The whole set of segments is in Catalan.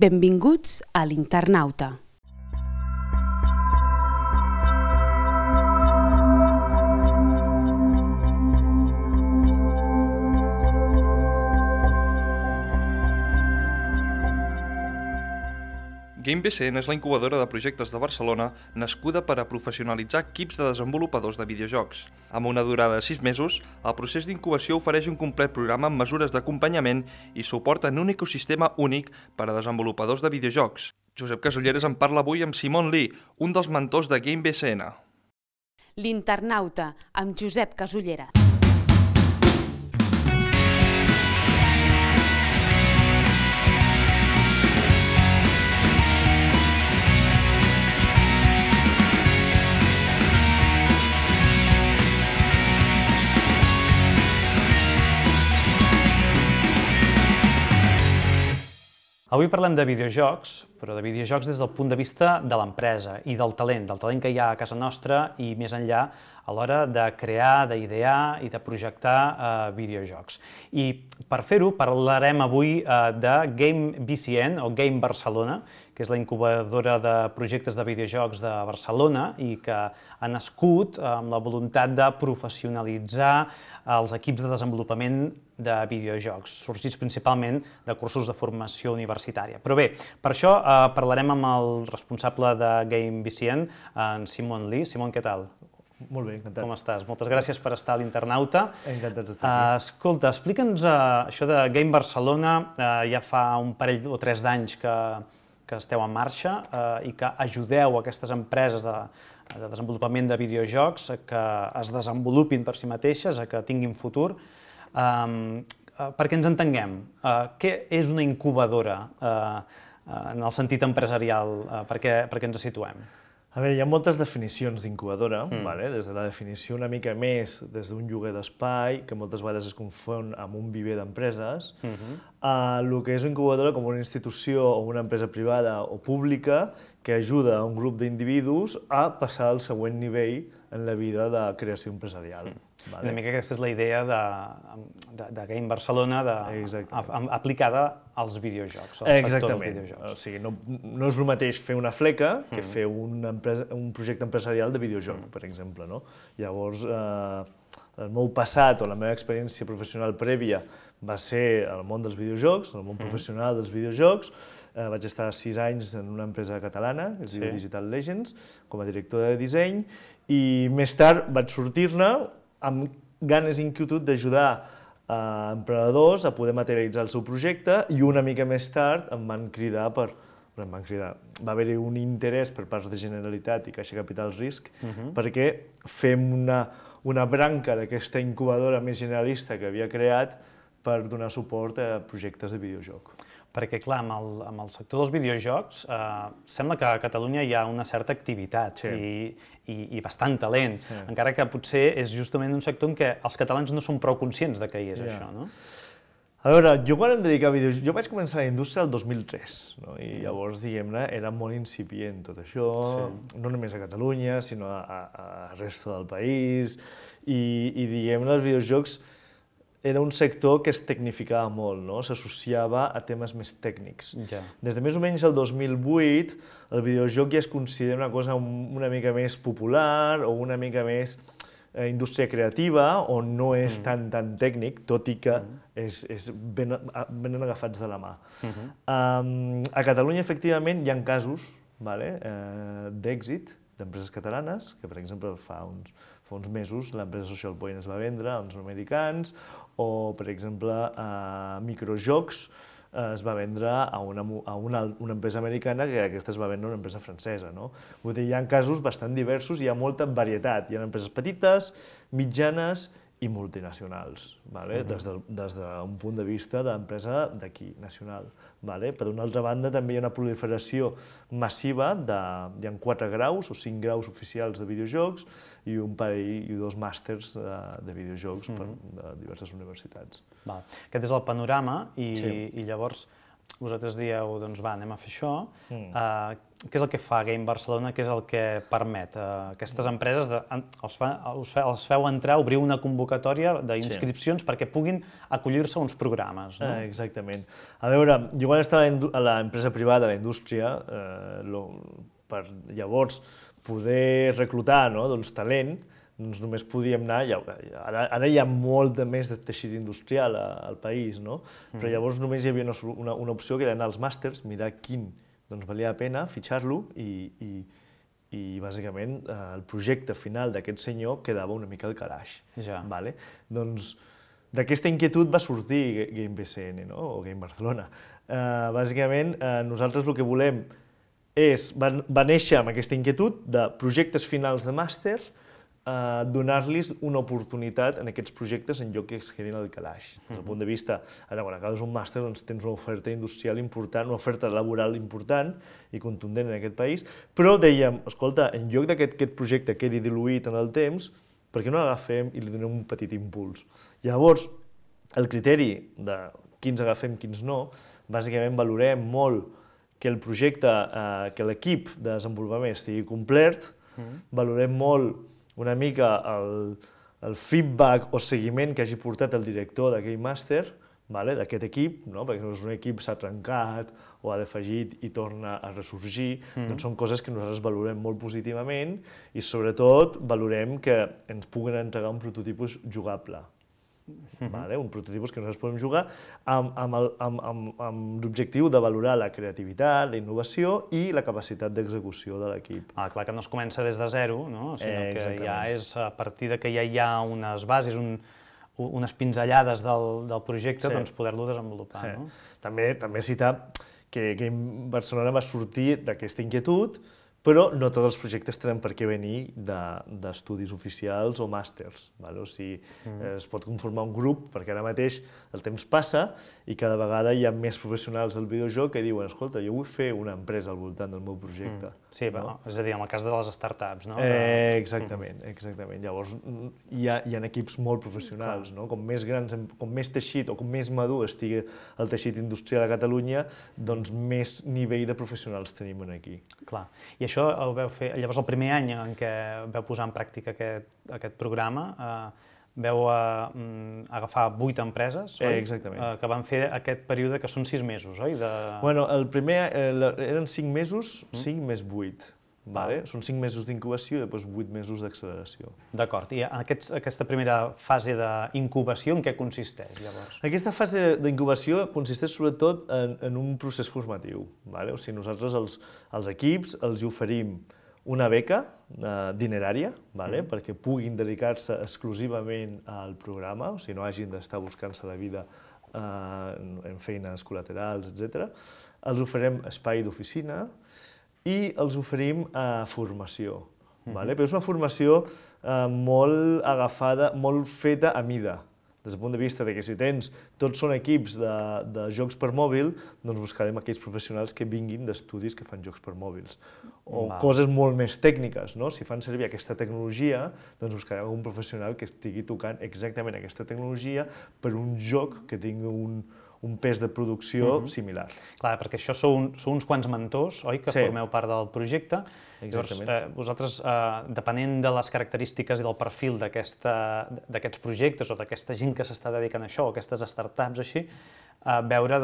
Benvinguts a l'Internauta. GameBCN és la incubadora de projectes de Barcelona nascuda per a professionalitzar equips de desenvolupadors de videojocs. Amb una durada de 6 mesos, el procés d'incubació ofereix un complet programa amb mesures d'acompanyament i suport en un ecosistema únic per a desenvolupadors de videojocs. Josep Casulleras en parla avui amb Simon Lee, un dels mentors de GameBCN. L'Internauta, amb Josep Casulleras. Avui parlem de videojocs, però de videojocs des del punt de vista de l'empresa i del talent que hi ha a casa nostra i més enllà a l'hora de crear, d'idear i de projectar videojocs. I per fer-ho parlarem avui de GameBCN o Game Barcelona, que és la incubadora de projectes de videojocs de Barcelona i que ha nascut amb la voluntat de professionalitzar els equips de desenvolupament de videojocs, sorgits principalment de cursos de formació universitària. Però bé, per això parlarem amb el responsable de GameBCN, en Simon Lee. Simon, què tal? Molt bé, encantat. Com estàs? Moltes gràcies per estar a l'Internauta. Encantats d'estar aquí. Escolta, explica'ns això de Game Barcelona. Ja fa un parell o 3 d'anys que esteu en marxa i que ajudeu aquestes empreses de desenvolupament de videojocs a que es desenvolupin per si mateixes, a que tinguin futur. Perquè ens entenguem, què és una incubadora en el sentit empresarial, perquè ens situem? A veure, hi ha moltes definicions d'incubadora, des de la definició una mica més des d'un lloguer d'espai, que moltes vegades es confon amb un viver d'empreses, el que és una incubadora com una institució o una empresa privada o pública que ajuda a un grup d'individus a passar al següent nivell en la vida de creació empresarial. Una mica aquesta és la idea de Game Barcelona aplicada als videojocs, al sector dels videojocs. O sigui, no és el mateix fer una fleca que fer un projecte empresarial de videojoc, per exemple. Llavors, el meu passat o la meva experiència professional prèvia va ser el món dels videojocs, el món professional dels videojocs. Vaig estar 6 anys en una empresa catalana, que es diu Digital Legends, com a director de disseny, i més tard vaig sortir-ne amb ganes i inquietud d'ajudar emprenedors a poder materialitzar el seu projecte i una mica més tard em van cridar va haver-hi un interès per part de Generalitat i Caixa Capital Risc perquè fem una branca d'aquesta incubadora més generalista que havia creat per donar suport a projectes de videojoc. Perquè, clar, amb el sector dels videojocs sembla que a Catalunya hi ha una certa activitat i bastant talent, encara que potser és justament un sector en què els catalans no són prou conscients de què hi és això, no? A veure, jo quan em dedicava a videojocs, jo vaig començar a la indústria el 2003, i llavors, diguem-ne, era molt incipient tot això, no només a Catalunya, sinó a resta del país, i diguem-ne, els videojocs era un sector que es tecnificava molt, s'associava a temes més tècnics. Des de més o menys el 2008, el videojoc ja es considera una cosa una mica més popular o una mica més indústria creativa, on no és tan tècnic, tot i que venen agafats de la mà. A Catalunya, efectivament, hi ha casos d'èxit d'empreses catalanes, que, per exemple, fa uns mesos l'empresa Social Point es va vendre a uns americans, o, per exemple, Microjocs es va vendre a una empresa americana que aquesta es va vendre a una empresa francesa. Vull dir, hi ha casos bastant diversos, hi ha molta varietat. Hi ha empreses petites, mitjanes i multinacionals, des d'un punt de vista d'empresa d'aquí, nacional. Per una altra banda, també hi ha una proliferació massiva, hi ha 4 graus o 5 graus oficials de videojocs i un parell i 2 màsters de videojocs per diverses universitats. Aquest és el panorama i llavors vosaltres dieu, doncs va, anem a fer això. Què és el que fa Game Barcelona? Què és el que permet aquestes empreses? Els feu entrar, obrir una convocatòria d'inscripcions perquè puguin acollir-se a uns programes, no? Exactament. A veure, jo quan estava a l'empresa privada, a la indústria, per llavors poder reclutar talent, doncs només podíem anar, ara hi ha molt més de teixit industrial al país, no? Però llavors només hi havia una opció que era anar als màsters, mirar quin valia la pena, fitxar-lo i bàsicament el projecte final d'aquest senyor quedava una mica al calaix. Doncs d'aquesta inquietud va sortir Game BCN, o Game Barcelona. Bàsicament nosaltres el que volem va néixer amb aquesta inquietud de projectes finals de màster, donar-los una oportunitat en aquests projectes en lloc que es quedin al calaix. Des del punt de vista, ara quan acabes un màster tens una oferta industrial important, una oferta laboral important i contundent en aquest país, però dèiem, escolta, en lloc d'aquest projecte quedi diluït en el temps, per què no l'agafem i li donem un petit impuls? Llavors, el criteri de quins agafem, quins no, bàsicament valorem molt que el projecte, que l'equip de desenvolupament estigui complet, valorem molt una mica el feedback o seguiment que hagi portat el director d'aquell màster, d'aquest equip, perquè si un equip s'ha trencat o ha defallit i torna a ressorgir, doncs són coses que nosaltres valorem molt positivament i sobretot valorem que ens puguen entregar un prototipus jugable. Un prototipus que nosaltres podem jugar amb l'objectiu de valorar la creativitat, la innovació i la capacitat d'execució de l'equip. Clar que no es comença des de zero, sinó que ja és a partir que ja hi ha unes bases, unes pinzellades del projecte, doncs poder-lo desenvolupar. També citar que Game Barcelona va sortir d'aquesta inquietud, però no tots els projectes tenen per què venir d'estudis oficials o màsters. O sigui, es pot conformar un grup, perquè ara mateix el temps passa i cada vegada hi ha més professionals del videojoc que diuen, escolta, jo vull fer una empresa al voltant del meu projecte. Sí, és a dir, en el cas de les startups, no? Exactament. Llavors hi ha equips molt professionals, com més grans, com més teixit o com més madur estigui el teixit industrial a Catalunya, doncs més nivell de professionals tenim aquí. Clar. I això ho vau fer, llavors el primer any en què vau posar en pràctica aquest programa, vau agafar 8 empreses, oi? Exactament. Que van fer aquest període que són 6 mesos, oi? Bueno, el primer eren 5 mesos, 5 més 8. Són 5 mesos d'incubació i després 8 mesos d'acceleració. D'acord. I aquesta primera fase d'incubació en què consisteix, llavors? Aquesta fase d'incubació consisteix sobretot en un procés formatiu. O sigui, nosaltres als equips els oferim una beca dinerària perquè puguin dedicar-se exclusivament al programa, o sigui, no hagin d'estar buscant-se la vida en feines col·laterals, etc. Els oferim espai d'oficina i els oferim formació. Però és una formació molt agafada, molt feta a mida, des del punt de vista que si tots són equips de jocs per mòbil, doncs buscarem aquells professionals que vinguin d'estudis que fan jocs per mòbils. O coses molt més tècniques, si fan servir aquesta tecnologia, doncs buscarem un professional que estigui tocant exactament aquesta tecnologia per un joc que tingui un pes de producció similar. Clar, perquè això sou uns quants mentors, oi, que formeu part del projecte. Llavors, vosaltres, depenent de les característiques i del perfil d'aquests projectes o d'aquesta gent que s'està dedicant a això, o aquestes startups així, veure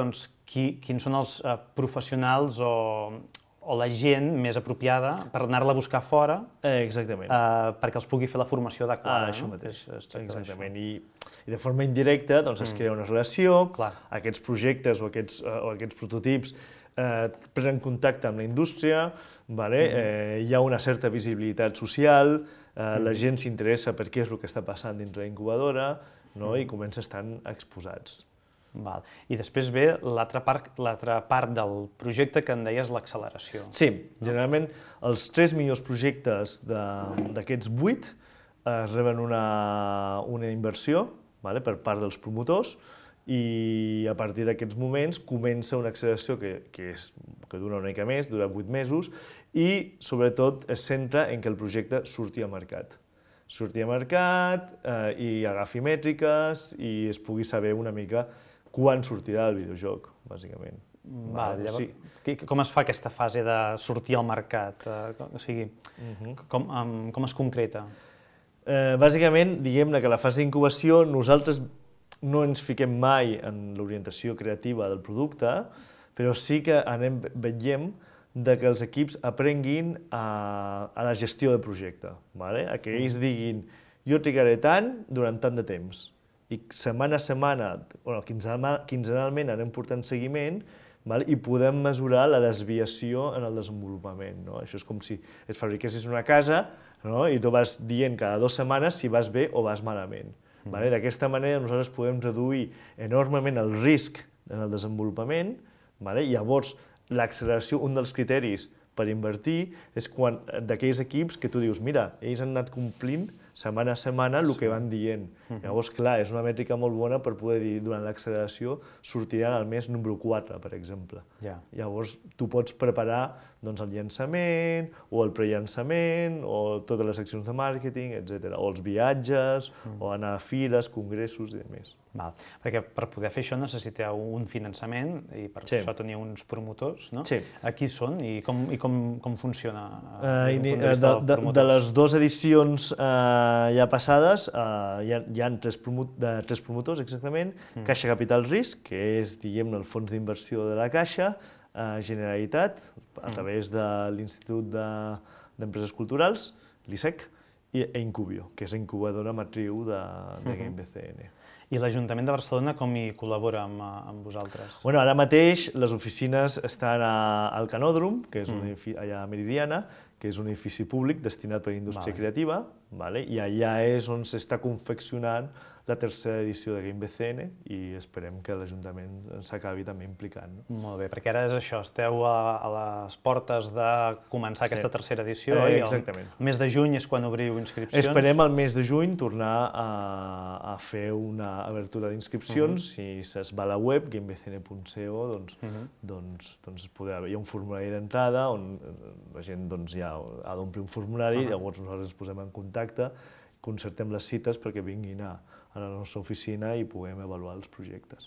quins són els professionals o la gent més apropiada per anar-la a buscar fora perquè els pugui fer la formació adequada. Això mateix, exactament. I de forma indirecta es crea una relació, aquests projectes o aquests prototips prenen contacte amb la indústria, hi ha una certa visibilitat social, la gent s'interessa per què és el que està passant dins la incubadora i comença a estar exposats. I després ve l'altra part del projecte que en deies l'acceleració. Sí, generalment els 3 millors projectes d'aquests 8 reben una inversió per part dels promotors i a partir d'aquests moments comença una acceleració que dura una mica més, dura 8 mesos i sobretot es centra en que el projecte surti al mercat. Surti al mercat i agafi mètriques i es pugui saber una mica quan sortirà el videojoc, bàsicament. Llavors, com es fa aquesta fase de sortir al mercat? O sigui, com es concreta? Bàsicament, diguem-ne que la fase d'incubació nosaltres no ens fiquem mai en l'orientació creativa del producte, però sí que veiem que els equips aprenguin a la gestió del projecte, que ells diguin jo trigaré tant durant tant de temps i setmana a setmana, quinzenalment anem portant seguiment i podem mesurar la desviació en el desenvolupament. Això és com si et fabriquessis una casa i tu vas dient cada 2 setmanes si vas bé o vas malament. D'aquesta manera nosaltres podem reduir enormement el risc en el desenvolupament. Llavors, l'acceleració, un dels criteris per invertir és quan d'aquells equips que tu dius, mira, ells han anat complint setmana a setmana el que van dient. Llavors, clar, és una mètrica molt bona per poder dir, durant l'acceleració sortiran al mes número 4, per exemple. Llavors, tu pots preparar el llançament, o el prellançament, o totes les accions de màrqueting, etc. O els viatges, o anar a fires, congressos i demés. Perquè per poder fer això necessiteu un finançament i per això teniu uns promotors, no? Sí. Qui són i com funciona? De les 2 edicions ja passades hi ha 3 promotors, exactament. Caixa Capital Risc, que és, diguem-ne, el fons d'inversió de la Caixa, Generalitat, a través de l'Institut d'Empreses Culturals, l'ISEC, i Incubio, que és la incubadora matriu de GameBCN. I l'Ajuntament de Barcelona com hi col·labora amb vosaltres? Ara mateix les oficines estan al Canòdrom, que és allà a Meridiana, que és un edifici públic destinat per a indústria creativa, i allà és on s'està confeccionant la tercera edició de GameBCN i esperem que l'Ajuntament s'acabi també implicant. Molt bé, perquè ara és això, esteu a les portes de començar aquesta tercera edició i el mes de juny és quan obriu inscripcions. Esperem al mes de juny tornar a fer una obertura d'inscripcions. Si es va a la web, gamebcn.co, hi ha un formulari d'entrada on la gent ja ha d'omplir un formulari, llavors nosaltres ens posem en contacte, concertem les cites perquè vinguin a la nostra oficina i puguem avaluar els projectes.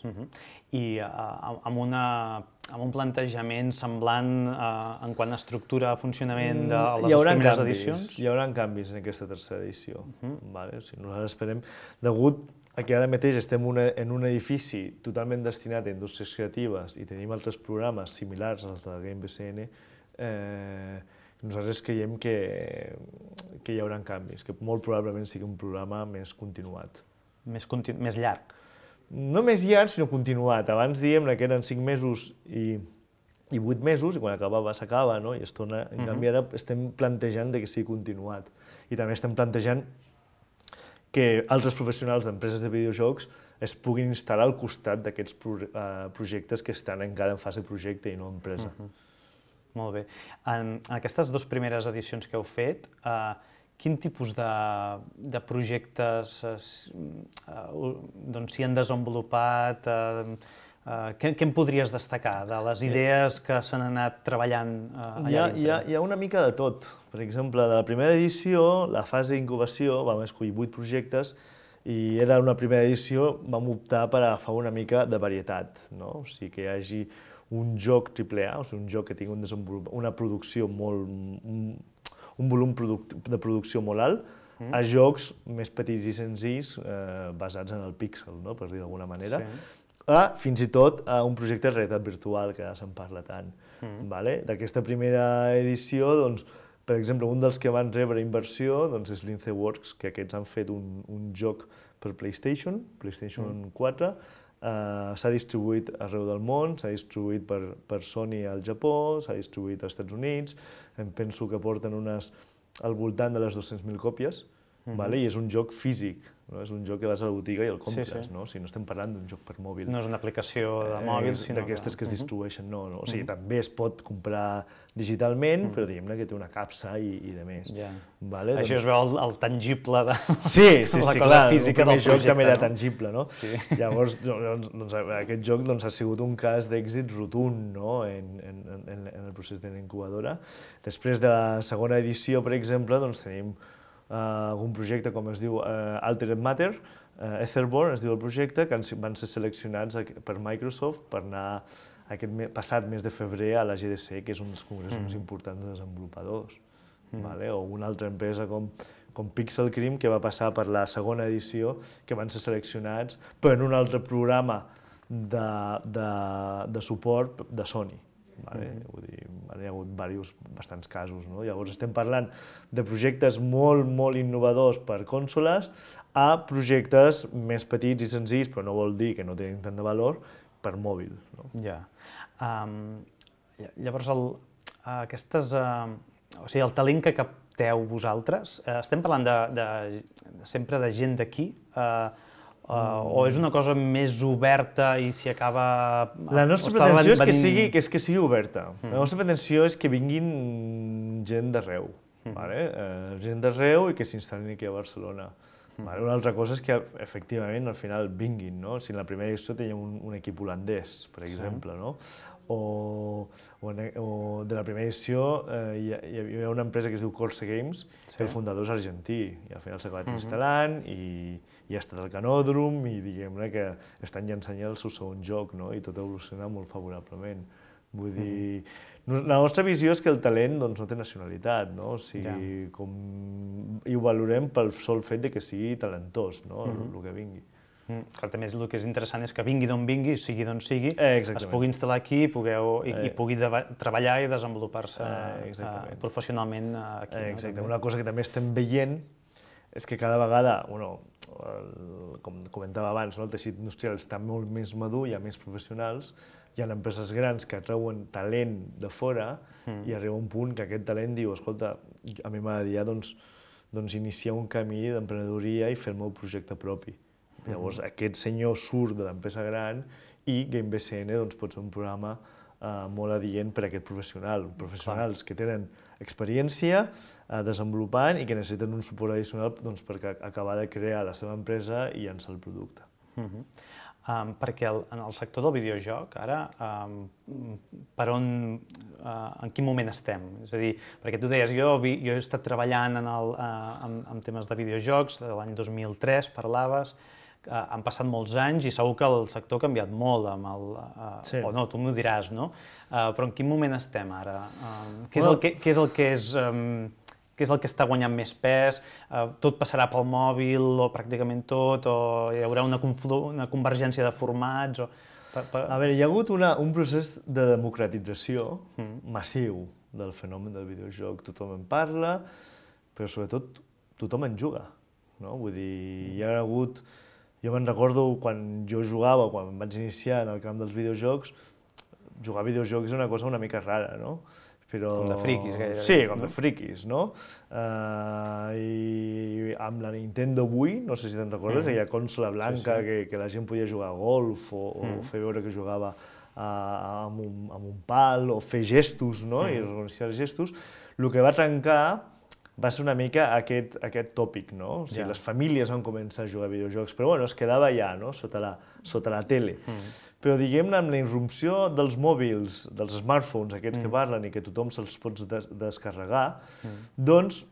I amb un plantejament semblant en quant a estructura, funcionament de les dues primeres edicions? Hi haurà canvis en aquesta tercera edició. Nosaltres esperem, degut a que ara mateix estem en un edifici totalment destinat a indústries creatives i tenim altres programes similars als de GameBCN, nosaltres creiem que hi haurà canvis, que molt probablement sigui un programa més continuat. Més llarg? No més llarg, sinó continuat. Abans diem que eren 5 mesos i 8 mesos, i quan acabava s'acaba, i es torna. En canvi, ara estem plantejant que sigui continuat. I també estem plantejant que altres professionals d'empreses de videojocs es puguin instal·lar al costat d'aquests projectes que estan encara en fase projecte i no empresa. Molt bé. En aquestes 2 primeres edicions que heu fet, quin tipus de projectes s'hi han desenvolupat? Què em podries destacar de les idees que s'han anat treballant allà dintre? Hi ha una mica de tot. Per exemple, de la primera edició, la fase d'incubació, vam escollir 8 projectes i era una primera edició, vam optar per agafar una mica de varietat, o sigui, que hi hagi un joc AAA, o sigui, un joc que tingui una producció un volum de producció molt alt, a jocs més petits i senzills basats en el píxel, per dir d'alguna manera, fins i tot a un projecte de realitat virtual, que ara se'n parla tant. D'aquesta primera edició, per exemple, un dels que van rebre inversió és Linceworks, que aquests han fet un joc per PlayStation 4, s'ha distribuït arreu del món, s'ha distribuït per Sony al Japó, s'ha distribuït als Estats Units, em penso que porten al voltant de les 200.000 còpies, i és un joc físic, és un joc que vas a la botiga i el compres, no estem parlant d'un joc per mòbil. No és una aplicació de mòbil, sinó d'aquestes que es distribueixen, no. O sigui, també es pot comprar digitalment, però diguem-ne que té una capsa i de més. Això es veu el tangible de la cosa física del projecte. El joc també era tangible, no? Llavors, aquest joc ha sigut un cas d'èxit rotund en el procés de l'incubadora. Després de la segona edició, per exemple, tenim algun projecte com es diu Altered Matter, Etherborn es diu el projecte, que van ser seleccionats per Microsoft per anar passat mes de febrer a la GDC, que és un dels congressos més importants de desenvolupadors. O una altra empresa com Pixel Cream, que va passar per la segona edició, que van ser seleccionats per un altre programa de suport de Sony. Vull dir, hi ha hagut bastants casos. Llavors estem parlant de projectes molt, molt innovadors per consoles a projectes més petits i senzills, però no vol dir que no tenen tant de valor, per mòbil. Ja. Llavors, el talent que capteu vosaltres, estem parlant sempre de gent d'aquí, o és una cosa més oberta i s'hi acaba... La nostra pretensió és que sigui oberta. La nostra pretensió és que vinguin gent d'arreu, gent d'arreu i que s'instal·lin aquí a Barcelona. Una altra cosa és que, efectivament, al final vinguin. Si en la primera edició teníem un equip holandès, per exemple, o de la primera edició hi havia una empresa que es diu Corse Games, que el fundador és argentí, i al final s'ha acabat instal·lant i ha estat al Canòdrom i diguem-ne que estan llançant ja el seu segon joc i tot evoluciona molt favorablement. Vull dir, la nostra visió és que el talent no té nacionalitat, i ho valorem pel sol fet que sigui talentós, el que vingui. També el que és interessant és que vingui d'on vingui, sigui d'on sigui, es pugui instal·lar aquí i pugui treballar i desenvolupar-se professionalment aquí. Exacte. Una cosa que també estem veient és que cada vegada, com comentava abans, el teixit industrial està molt més madur, hi ha més professionals, hi ha empreses grans que atreuen talent de fora i arriba un punt que aquest talent diu, escolta, a mi m'agradaria iniciar un camí d'emprenedoria i fer el meu projecte propi. Llavors aquest senyor surt de l'empresa gran i GameBCN pot ser un programa molt adient per a aquest professional. Professionals que tenen experiència desenvolupant i que necessiten un suport addicional per acabar de crear la seva empresa i llançar el producte. Perquè en el sector del videojoc, ara, en quin moment estem? És a dir, perquè tu deies, jo he estat treballant en temes de videojocs, de l'any 2003 parlaves, han passat molts anys i segur que el sector ha canviat molt, o no, tu m'ho diràs, no? Però en quin moment estem ara? Què és el que està guanyant més pes? Tot passarà pel mòbil, o pràcticament tot, o hi haurà una convergència de formats? A veure, hi ha hagut un procés de democratització massiu del fenomen del videojoc. Tothom en parla, però sobretot tothom en juga. Vull dir, hi ha hagut... Jo me'n recordo quan jo jugava, quan em vaig iniciar en el camp dels videojocs, jugar a videojocs és una cosa una mica rara, no? Com de friquis, gairebé. Sí, com de friquis, no? I amb la Nintendo Wii, no sé si te'n recordes, aquella consola blanca que la gent podia jugar a golf o fer veure que jugava amb un pal o fer gestos, no? I reconèixer els gestos. El que va trencar va ser una mica aquest tòpic, no? O sigui, les famílies van començar a jugar a videojocs, però bueno, es quedava allà, no? Sota la tele. Però diguem-ne, amb la irrupció dels mòbils, dels smartphones, aquests que parlen i que tothom se'ls pot descarregar, doncs,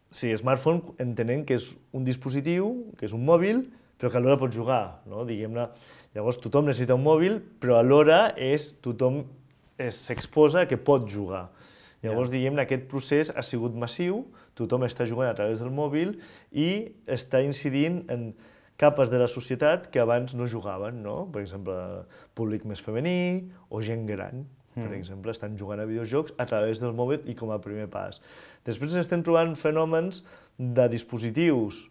sí, smartphone entenem que és un dispositiu, que és un mòbil, però que alhora pot jugar, no? Diguem-ne, llavors tothom necessita un mòbil, però alhora tothom s'exposa que pot jugar. Llavors, diguem-ne, aquest procés ha sigut massiu, tothom està jugant a través del mòbil i està incidint en capes de la societat que abans no jugaven, no? Per exemple, públic més femení o gent gran, per exemple, estan jugant a videojocs a través del mòbil i com a primer pas. Després estem trobant fenòmens de dispositius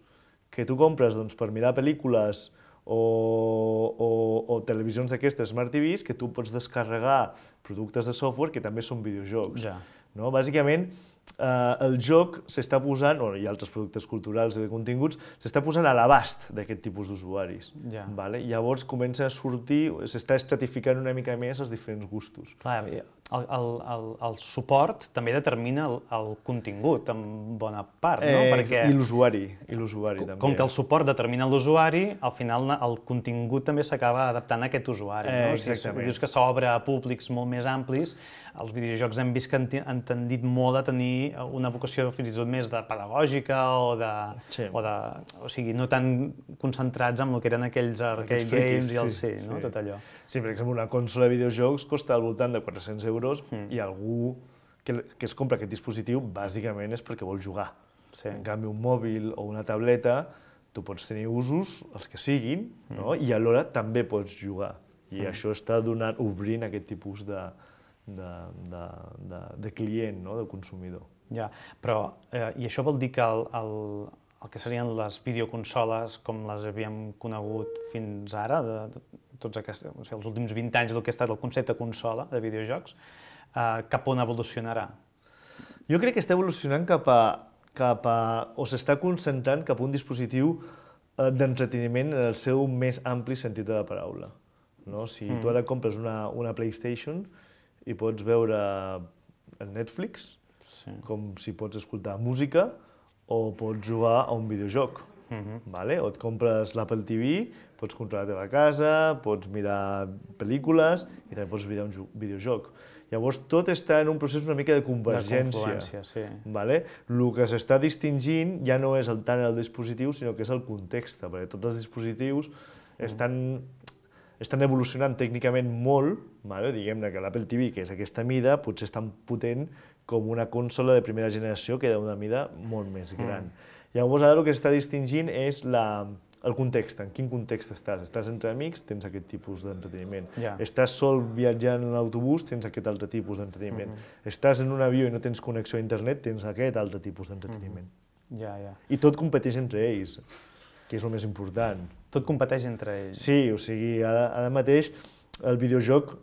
que tu compres per mirar pel·lícules o televisions d'aquestes Smart TVs que tu pots descarregar productes de software que també són videojocs. Bàsicament, el joc s'està posant, i altres productes culturals i de continguts, s'està posant a l'abast d'aquest tipus d'usuaris. Llavors comença a sortir, s'està estratificant una mica més els diferents gustos. Clar, el suport també determina el contingut en bona part, no? Perquè... I l'usuari també. Com que el suport determina l'usuari, al final el contingut també s'acaba adaptant a aquest usuari, no? Exactament. Si dius que s'obre a públics molt més amplis, els videojocs hem vist que han tendit molt a tenir una vocació fins i tot més de pedagògica o sigui, no tan concentrats en el que eren aquells arcade games i tot allò. Sí, per exemple, una consola de videojocs costa al voltant de 400 euros i algú que es compra aquest dispositiu bàsicament és perquè vol jugar. En canvi, un mòbil o una tableta, tu pots tenir usos, els que siguin, i alhora també pots jugar. I això està obrint aquest tipus de client, de consumidor. Ja, però i això vol dir que el que serien les videoconsoles com les havíem conegut fins ara, tots aquests, o sigui, els últims 20 anys del que ha estat el concepte consola de videojocs, cap on evolucionarà? Jo crec que està evolucionant cap a o s'està concentrant cap a un dispositiu d'entreteniment en el seu més ampli sentit de la paraula. Si tu ara compres una PlayStation i pots veure el Netflix, com si pots escoltar música, o pots jugar a un videojoc. O et compres l'Apple TV, pots controlar la teva casa, pots mirar pel·lícules i també pots mirar un videojoc. Llavors, tot està en un procés una mica de convergència. El que s'està distingint ja no és tant el dispositiu, sinó que és el context, perquè tots els dispositius estan evolucionant tècnicament molt, diguem-ne que l'Apple TV, que és aquesta mida, potser és tan potent com una consola de primera generació que d'una mida molt més gran. Llavors, ara el que s'està distingint és el context, en quin context estàs. Estàs entre amics, tens aquest tipus d'entreteniment. Estàs sol viatjant en l'autobús, tens aquest altre tipus d'entreteniment. Estàs en un avió i no tens connexió a internet, tens aquest altre tipus d'entreteniment. I tot competeix entre ells, que és el més important. Tot competeix entre ells? Sí, o sigui, ara mateix el videojoc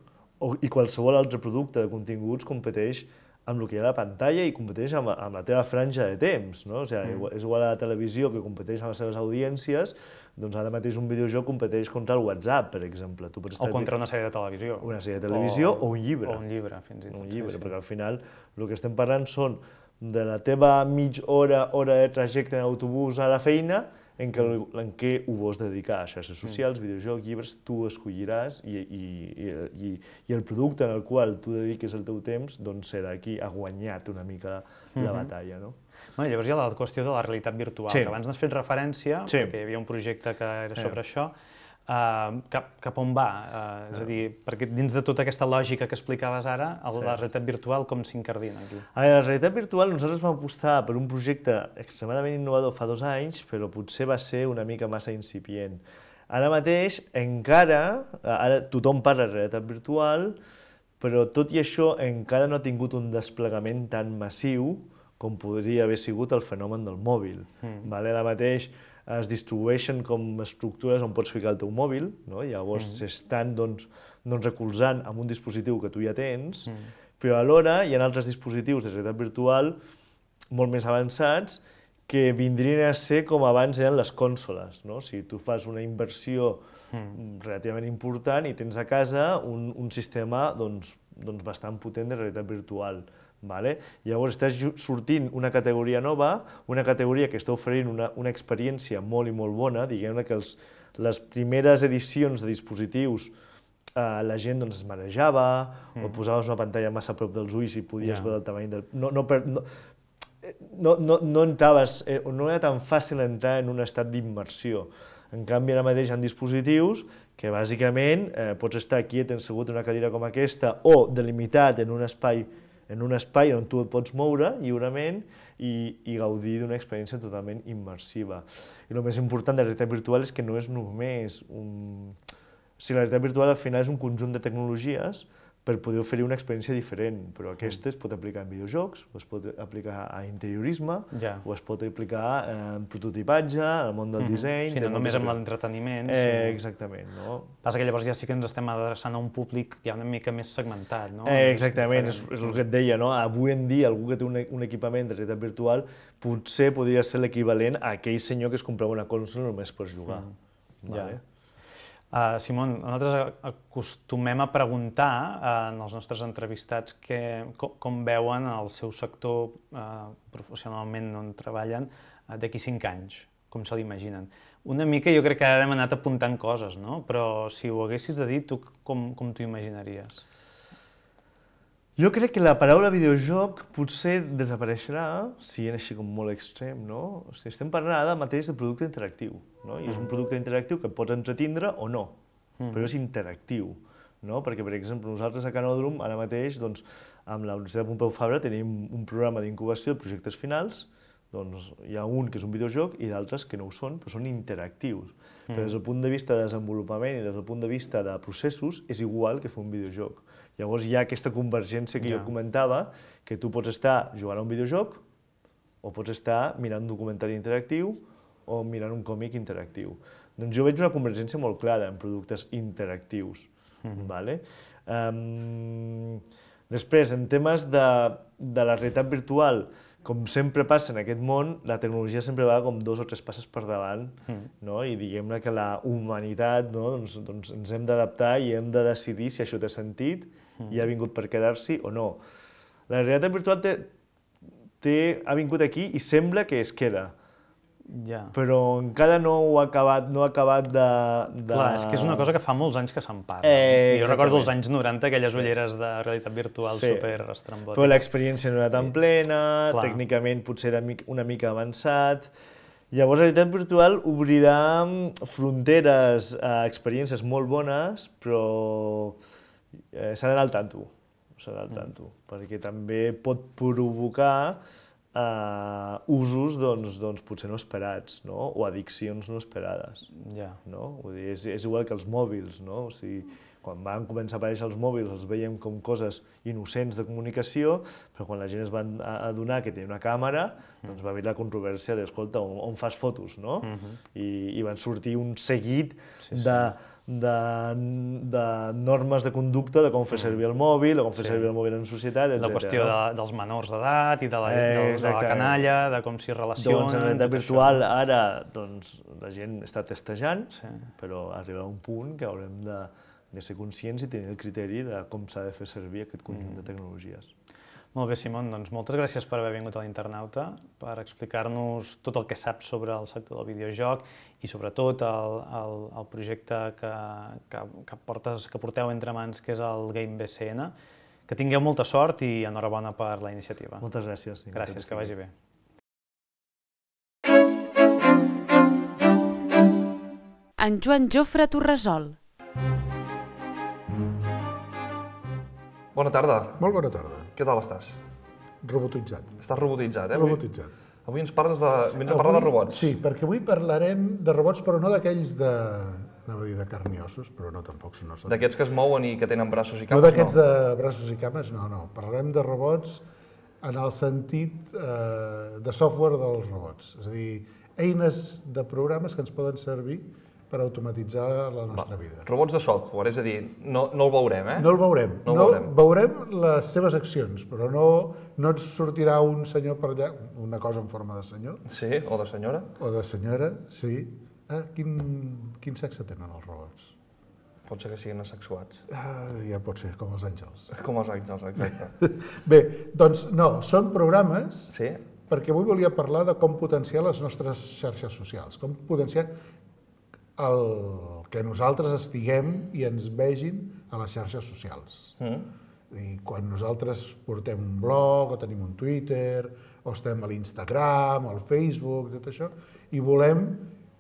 i qualsevol altre producte de continguts competeix amb el que hi ha a la pantalla i competeix amb la teva franja de temps. És igual a la televisió que competeix amb les seves audiències, doncs ara mateix un videojoc competeix contra el WhatsApp, per exemple. O contra una sèrie de televisió. Una sèrie de televisió o un llibre. O un llibre, fins i tot. Un llibre, perquè al final el que estem parlant són de la teva mitja hora de trajecte en autobús a la feina, en què ho vols dedicar a xarxes socials, videojocs, llibres, tu escolliràs i el producte en el qual tu dediques el teu temps serà qui ha guanyat una mica la batalla. Llavors hi ha la qüestió de la realitat virtual, que abans n'has fet referència, perquè hi havia un projecte que era sobre això. Cap on va? És a dir, perquè dins de tota aquesta lògica que explicaves ara, la realitat virtual com s'incardina aquí? La realitat virtual, nosaltres vam apostar per un projecte extremadament innovador fa 2 anys, però potser va ser una mica massa incipient. Ara mateix, ara tothom parla de realitat virtual, però tot i això encara no ha tingut un desplegament tan massiu com podria haver sigut el fenomen del mòbil. Ara mateix es distribueixen com estructures on pots ficar el teu mòbil, llavors s'estan recolzant amb un dispositiu que tu ja tens, però alhora hi ha altres dispositius de realitat virtual molt més avançats que vindrien a ser com abans eren les consoles. Si tu fas una inversió relativament important i tens a casa un sistema bastant potent de realitat virtual. Llavors estàs sortint una categoria nova, una categoria que està oferint una experiència molt i molt bona, diguem-ne que les primeres edicions de dispositius la gent es marejava o posaves una pantalla massa a prop dels ulls i podies veure el tamany del... No entraves, no era tan fàcil entrar en un estat d'immersió. En canvi, ara mateix hi ha dispositius que bàsicament pots estar quiet assegut en una cadira com aquesta o delimitat en un espai on tu et pots moure lliurement i gaudir d'una experiència totalment immersiva. I el més important de la realitat virtual és que no és només un... La realitat virtual al final és un conjunt de tecnologies per poder oferir una experiència diferent, però aquesta es pot aplicar en videojocs, o es pot aplicar a interiorisme, o es pot aplicar en prototipatge, en el món del disseny... Sí, no només amb l'entreteniment. Exactament. Passa que llavors ja sí que ens estem adreçant a un públic ja una mica més segmentat, no? Exactament, és el que et deia, no? Avui en dia algú que té un equipament de realitat virtual potser podria ser l'equivalent a aquell senyor que es comprava una consola només per jugar. Simon, nosaltres acostumem a preguntar als nostres entrevistats com veuen el seu sector professionalment on treballen d'aquí 5 anys, com se l'imaginen. Una mica jo crec que ara hem anat apuntant coses, no? Però si ho haguessis de dir, tu com t'ho imaginaries? Jo crec que la paraula videojoc potser desapareixerà, sent així com molt extrem, no? O sigui, estem parlant ara mateix de producte interactiu, no? I és un producte interactiu que pots entretindre o no, però és interactiu, no? Perquè, per exemple, nosaltres a Canòdrom, ara mateix, doncs, amb la Universitat Pompeu Fabra tenim un programa d'incubació de projectes finals, doncs hi ha un que és un videojoc i d'altres que no ho són, però són interactius. Però des del punt de vista de desenvolupament i des del punt de vista de processos és igual que fer un videojoc. Llavors hi ha aquesta convergència que jo comentava, que tu pots estar jugant a un videojoc o pots estar mirant un documentari interactiu o mirant un còmic interactiu. Doncs jo veig una convergència molt clara en productes interactius. Després, en temes de la realitat virtual, com sempre passa en aquest món, la tecnologia sempre va com 2 o 3 passes per davant, i diguem-ne que la humanitat, doncs ens hem d'adaptar i hem de decidir si això té sentit i ha vingut per quedar-s'hi o no. La realitat virtual ha vingut aquí i sembla que es queda, però encara no ha acabat de... Clar, és que és una cosa que fa molts anys que se'n parla. Jo recordo els anys 90, aquelles ulleres de realitat virtual superestrambòtiques. Però l'experiència no era tan plena, tècnicament potser era una mica avançat. Llavors, la realitat virtual obrirà fronteres a experiències molt bones, però s'ha d'anar al tanto, perquè també pot provocar usos potser no esperats, o addiccions no esperades. És igual que els mòbils. Quan van començar a aparèixer els mòbils els veiem com coses innocents de comunicació, però quan la gent es va adonar que tenia una càmera, doncs va haver la controvèrsia d'escolta, on fas fotos? I van sortir un seguit de normes de conducta de com fer servir el mòbil, o com fer servir el mòbil en societat, etc. La qüestió dels menors d'edat i de la canalla, de com s'hi relacionen... Doncs en realitat virtual ara la gent està testejant, però arribarà un punt que haurem de ser conscients i tenir el criteri de com s'ha de fer servir aquest conjunt de tecnologies. Molt bé, Simon, doncs moltes gràcies per haver vingut a l'Internauta, per explicar-nos tot el que saps sobre el sector del videojoc i sobretot el projecte que porteu entre mans, que és el Game BCN. Que tingueu molta sort i enhorabona per la iniciativa. Moltes gràcies. Gràcies, que vagi bé. En Joan Jofre Torresol. Bona tarda. Molt bona tarda. Què tal estàs? Robotitzat. Estàs robotitzat, eh? Robotitzat. Avui ens parles vens a parlar de robots. Sí, perquè avui parlarem de robots, però no d'aquells anava a dir de carn i ossos, però no, tampoc són ossos. D'aquests que es mouen i que tenen braços i cames, no? No d'aquests de braços i cames, no. Parlarem de robots en el sentit de software dels robots. És a dir, eines de programes que ens poden servir per automatitzar la nostra vida. Robots de software, és a dir, no el veurem, eh? No el veurem. Veurem les seves accions, però no ens sortirà un senyor per allà, una cosa en forma de senyor. Sí, o de senyora. O de senyora, sí. Quin sexe tenen els robots? Pot ser que siguin asexuats. Ja pot ser, com els àngels. Com els àngels, exacte. Bé, doncs no, són programes, sí? Perquè avui volia parlar de com potenciar les nostres xarxes socials, com potenciar el que nosaltres estiguem i ens vegin a les xarxes socials. I quan nosaltres portem un blog, o tenim un Twitter, o estem a l'Instagram, al Facebook, tot això, i volem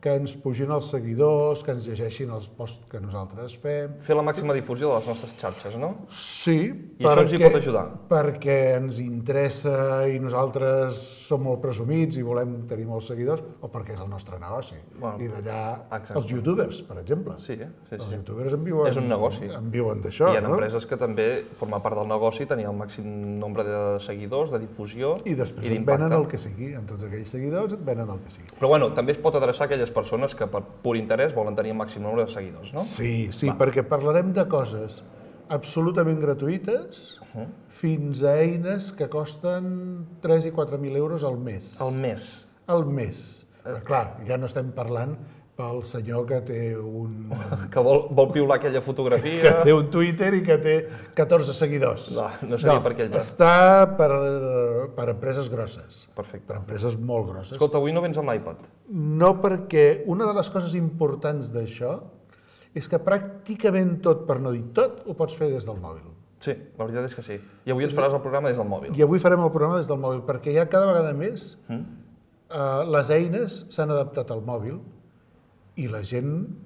que ens pugin els seguidors, que ens llegeixin els posts que nosaltres fem. Fer la màxima difusió de les nostres xarxes, no? Sí. I això ens hi pot ajudar? Perquè ens interessa i nosaltres som molt presumits i volem tenir molts seguidors, o perquè és el nostre negoci. I d'allà els youtubers, per exemple. Sí. Els youtubers en viuen... És un negoci. En viuen d'això, no? Hi ha empreses que també formen part del negoci, tenir el màxim nombre de seguidors, de difusió i d'impacte. I després et venen el que sigui. Amb tots aquells seguidors et venen el que sigui. Però bueno, també es pot adreçar a aquelles persones que per pur interès volen tenir el màxim nombre de seguidors, no? Sí, perquè parlarem de coses absolutament gratuïtes fins a eines que costen 3 i 4.000 euros al mes. Al mes? Al mes. Clar, ja no estem parlant pel senyor que té un... Que vol piular aquella fotografia... que té un Twitter i que té 14 seguidors. No seria per aquell lloc. Està per empreses grosses. Perfecte. Per empreses molt grosses. Escolta, avui no vens amb l'iPad. No, perquè una de les coses importants d'això és que pràcticament tot, per no dir tot, ho pots fer des del mòbil. Sí, la veritat és que sí. I avui ens faràs el programa des del mòbil. I avui farem el programa des del mòbil, perquè ja cada vegada més les eines s'han adaptat al mòbil i la gent,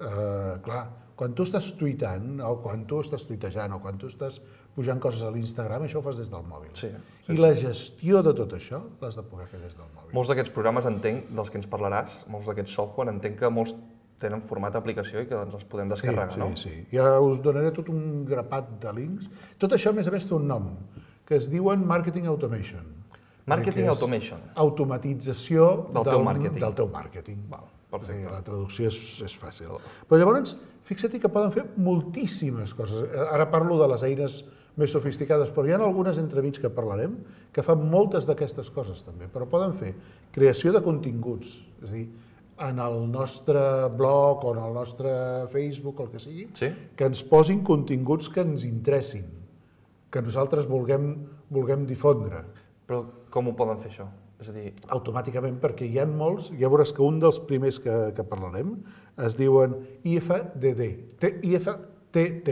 clar, quan tu estàs tuitant, o quan tu estàs tuitejant, o quan tu estàs pujant coses a l'Instagram, això ho fas des del mòbil. Sí. I la gestió de tot això l'has de poder fer des del mòbil. Molts d'aquests programes entenc, dels que ens parlaràs, molts d'aquests software, entenc que molts tenen format d'aplicació i que ens els podem descarregar, no? Sí. Ja us donaré tot un grapat de links. Tot això, a més, té un nom, que es diuen Marketing Automation. Marketing Automation. Automatització del teu màrqueting. Del teu màrqueting. Perfecte. La traducció és fàcil. Però llavors, fixa't que poden fer moltíssimes coses. Ara parlo de les eines més sofisticades, però hi ha algunes entremig que parlarem que fan moltes d'aquestes coses també, però poden fer creació de continguts, és a dir, en el nostre blog o en el nostre Facebook o el que sigui, que ens posin continguts que ens interessin, que nosaltres vulguem difondre. Però com ho poden fer això? És a dir... Automàticament, perquè hi ha molts, ja veuràs que un dels primers que parlarem es diuen IFDD, IFTT.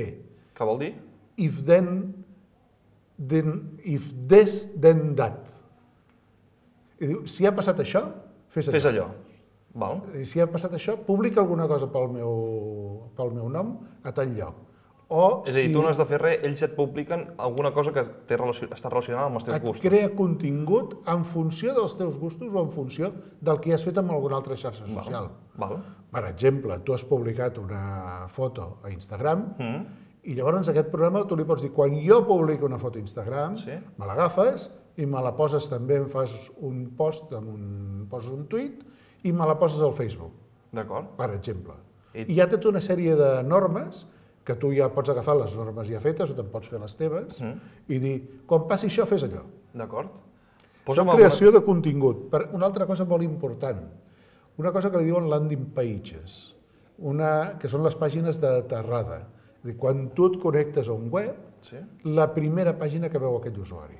Què vol dir? If this, then that. I diu, si ha passat això, fes allò. Val. Si ha passat això, publica alguna cosa pel meu nom a tal lloc. És a dir, tu no has de fer res, ells et publiquen alguna cosa que està relacionada amb els teus gustos. Et crea contingut en funció dels teus gustos o en funció del que has fet amb alguna altra xarxa social. Per exemple, tu has publicat una foto a Instagram i llavors aquest programa tu li pots dir quan jo publico una foto a Instagram, me l'agafes i me la poses també, em fas un post, poses un tuit i me la poses al Facebook, per exemple. I hi ha tota una sèrie de normes que tu ja pots agafar les normes ja fetes o te'n pots fer les teves i dir, quan passi això, fes allò. D'acord. Això és creació de contingut. Una altra cosa molt important, una cosa que li diuen landing pages, que són les pàgines d'aterrada. És a dir, quan tu et connectes a un web, la primera pàgina que veu aquell usuari.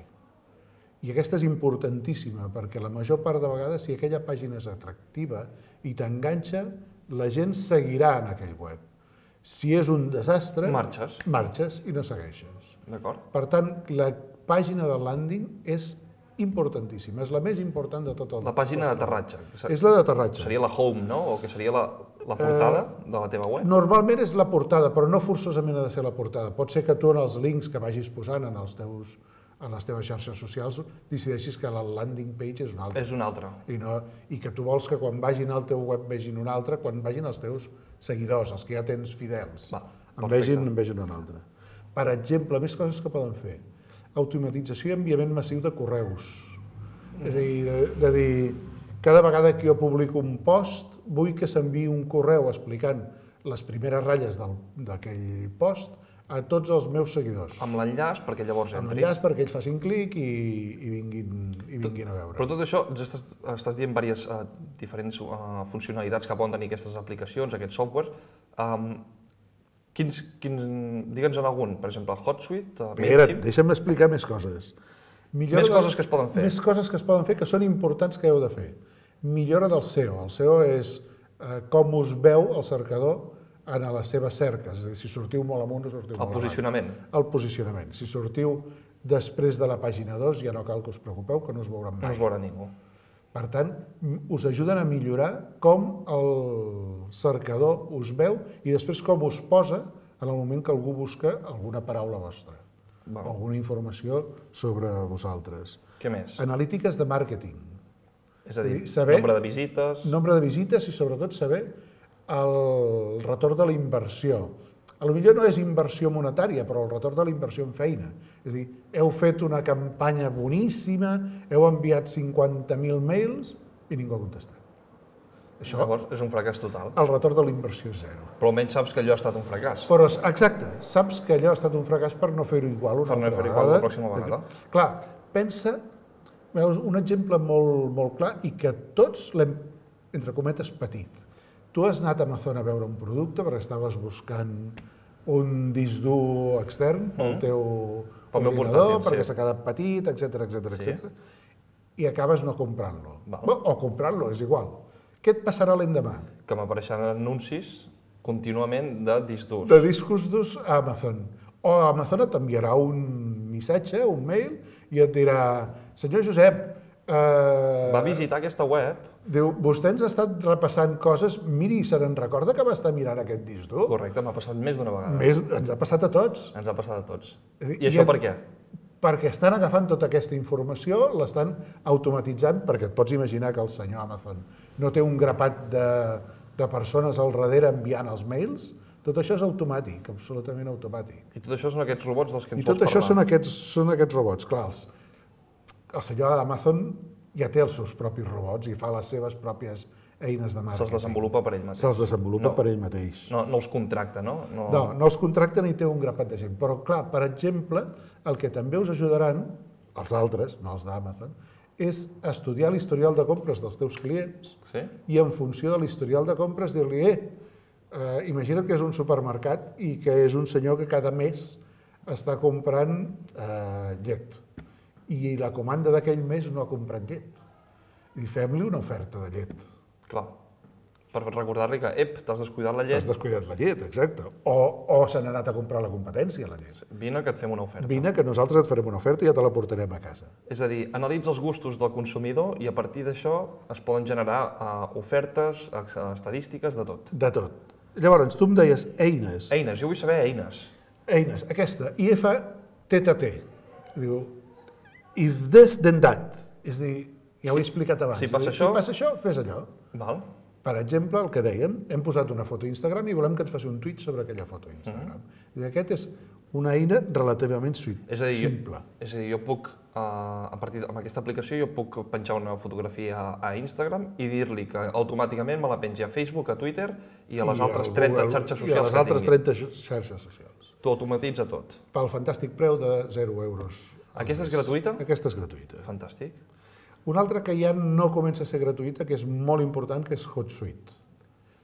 I aquesta és importantíssima, perquè la major part de vegades, si aquella pàgina és atractiva i t'enganxa, la gent seguirà en aquell web. Si és un desastre, marxes i no segueixes. Per tant, la pàgina de landing és importantíssima, és la més important de tot el... La pàgina d'aterratge. És la d'aterratge. Seria la home, no? O que seria la portada de la teva web? Normalment és la portada, però no forçosament ha de ser la portada. Pot ser que tu en els links que vagis posant en les teves xarxes socials decideixis que la landing page és una altra. És una altra. I que tu vols que quan vagin al teu web vegin una altra, quan vagin els teus seguidors, els que ja tens fidels, en vegin una altra. Per exemple, més coses que poden fer. Automatització i enviament massiu de correus. És a dir, de dir, cada vegada que jo publico un post, vull que s'enviï un correu explicant les primeres ratlles d'aquell post a tots els meus seguidors. Amb l'enllaç perquè llavors entri. Amb l'enllaç perquè ells facin clic i vinguin a veure. Però tot això, estàs dient diverses diferents funcionalitats que poden tenir aquestes aplicacions, aquests software. Digue'ns en algun, per exemple, HotSuite, MailChimp... Deixa'm explicar més coses. Més coses que es poden fer. Més coses que es poden fer que són importants que heu de fer. Millora del SEO. El SEO és com us veu el cercador en les seves cerques, és a dir, si sortiu molt amunt o sortiu molt avall. El posicionament. El posicionament. Si sortiu després de la pàgina 2, ja no cal que us preocupeu, que no us veuran mai. No us veurà ningú. Per tant, us ajuden a millorar com el cercador us veu i després com us posa en el moment que algú busca alguna paraula vostra, alguna informació sobre vosaltres. Què més? Analítiques de màrqueting. És a dir, nombre de visites... Nombre de visites i sobretot saber el retorn de la inversió. Potser no és inversió monetària, però el retorn de la inversió en feina. És a dir, heu fet una campanya boníssima, heu enviat 50.000 mails i ningú ha contestat. Això llavors és un fracàs total. El retorn de la inversió és zero. Però almenys saps que allò ha estat un fracàs. Però, exacte, saps que allò ha estat un fracàs per no fer-ho igual una altra vegada. Per no fer-ho igual la pròxima vegada. Clar, pensa, veus, un exemple molt clar i que tots l'hem, entre cometes, patit. Tu has anat a Amazon a veure un producte perquè estaves buscant un disc dur extern pel teu ordinador, perquè s'ha quedat petit, etc. I acabes no comprant-lo. O comprant-lo, és igual. Què et passarà l'endemà? Que m'apareixen anuncis contínuament de discs durs. De discos durs a Amazon. O Amazon t'enviarà un missatge, un mail, i et dirà: senyor Josep, va visitar aquesta web. Diu, vostè ens ha estat repassant coses, miri, se n'en recorda que va estar mirant aquest disc dur? Correcte, m'ha passat més d'una vegada. Ens ha passat a tots. Ens ha passat a tots. I això per què? Perquè estan agafant tota aquesta informació, l'estan automatitzant, perquè et pots imaginar que el senyor Amazon no té un grapat de persones al darrere enviant els mails. Tot això és automàtic, absolutament automàtic. I tot això són aquests robots dels que ens vols parlar. I tot això són aquests robots, clar. El senyor Amazon ja té els seus propis robots i fa les seves pròpies eines de màrqueting. Se'ls desenvolupa per ell mateix. Se'ls desenvolupa per ell mateix. No els contracta, no? No els contracta ni té un grapat de gent. Però, clar, per exemple, el que també us ajudaran, els altres, no els d'Amazon, és estudiar l'historial de compres dels teus clients i en funció de l'historial de compres dir-li imagina't que és un supermercat i que és un senyor que cada mes està comprant llet i la comanda d'aquell mes no ha comprat llet. I fem-li una oferta de llet. Clar, per recordar-li que, t'has descuidat la llet. T'has descuidat la llet, exacte. O se n'ha anat a comprar la competència, la llet. Vine que et fem una oferta. Vine que nosaltres et farem una oferta i ja te la portarem a casa. És a dir, analitza els gustos del consumidor i a partir d'això es poden generar ofertes, estadístiques, de tot. De tot. Llavors, tu em deies eines. Eines, jo vull saber eines. Eines, aquesta, IFTTT. Diu, if this, then that. És a dir, ja ho he explicat abans. Si passa això, fes allò. Val. Per exemple, el que dèiem, hem posat una foto a Instagram i volem que et faci un tuit sobre aquella foto a Instagram. I aquest és una eina relativament simple. És a dir, jo puc, amb aquesta aplicació, jo puc penjar una fotografia a Instagram i dir-li que automàticament me la pengi a Facebook, a Twitter i a les altres 30 xarxes socials que tingui. I a les altres 30 xarxes socials. T'ho automatitza tot. Pel fantàstic preu de 0 euros. Aquesta és gratuïta? Aquesta és gratuïta. Fantàstic. Una altra que ja no comença a ser gratuïta, que és molt important, que és HotSuite.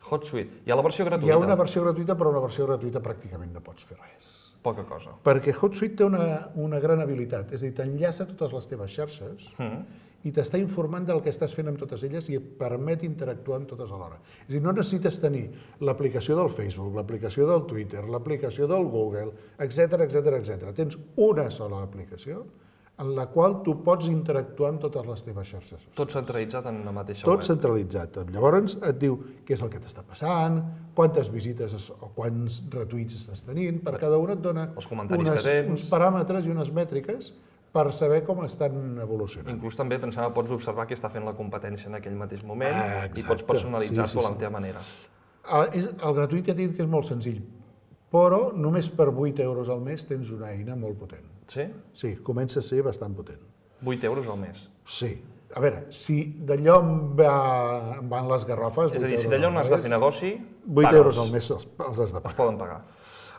HotSuite. Hi ha la versió gratuïta? Hi ha una versió gratuïta, però una versió gratuïta pràcticament no pots fer res. Poca cosa. Perquè HotSuite té una gran habilitat, és a dir, t'enllaça totes les teves xarxes i t'està informant del que estàs fent amb totes elles i et permet interactuar amb totes alhora. És a dir, no necessites tenir l'aplicació del Facebook, l'aplicació del Twitter, l'aplicació del Google, etc. Tens una sola aplicació en la qual tu pots interactuar amb totes les teves xarxes. Tot centralitzat en una mateixa web. Tot centralitzat. Llavors et diu què és el que t'està passant, quantes visites o quants retuits estàs tenint, per cada una et dona uns paràmetres i unes mètriques per saber com estan evolucionant. Inclús també pensava, pots observar què està fent la competència en aquell mateix moment i pots personalitzar-lo a la teva manera. El gratuït ja t'he dit que és molt senzill, però només per 8 euros al mes tens una eina molt potent. Sí? Sí, comença a ser bastant potent. 8 euros al mes? Sí. A veure, si d'allò em van les garrofes... És a dir, si d'allò no has de fer negoci, 8 euros al mes els has de pagar. Es poden pagar.